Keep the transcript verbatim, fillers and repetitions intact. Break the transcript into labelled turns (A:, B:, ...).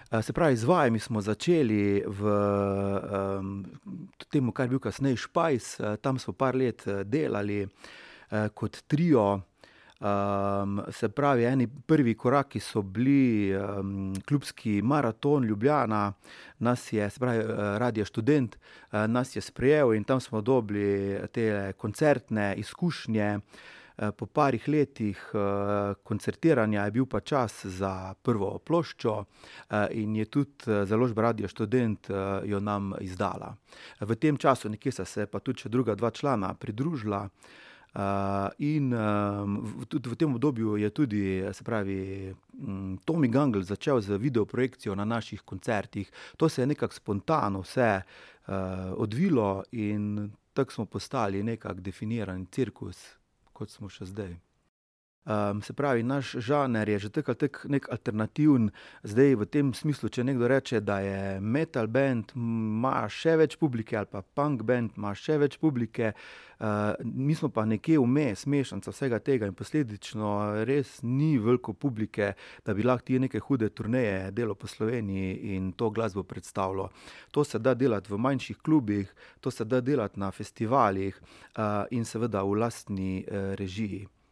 A: Se pravi, z vajami smo začeli v um, temu, kar je bil kasneje Špajs, tam smo par let delali uh, kot trio. Um, se pravi, eni prvi koraki so bili um, klubski maraton Ljubljana, nas je, se pravi, Radio Študent, uh, nas je sprejel in tam smo dobili te koncertne izkušnje. Po parih letih koncertiranja je bil pa čas za prvo ploščo in je tudi založba Radio Študent jo nam izdala. V tem času nekje sta se pa tudi še druga dva člana pridružila in tudi v tem obdobju je tudi, se pravi, Tomi Gangl začel z videoprojekcijo na naših koncertih. To se je nekako spontano vse odvilo in tako smo postali nekako definiran cirkus, kot smo še zdaj. Um, se pravi, naš žanr je že tako ali tako nek alternativen. Zdaj v tem smislu, če nekdo reče, da je metal band, ima še več publike ali pa punk band, ima še več publike. Uh, mi smo pa nekje vmes, mešanica vsega tega in posledično res ni veliko publike, da bi lahko ti neke hude turneje delal po Sloveniji in to glasbo predstavljal. To se da delati v manjših klubih, to se da delati na festivalih uh, in seveda v lastni uh, režiji.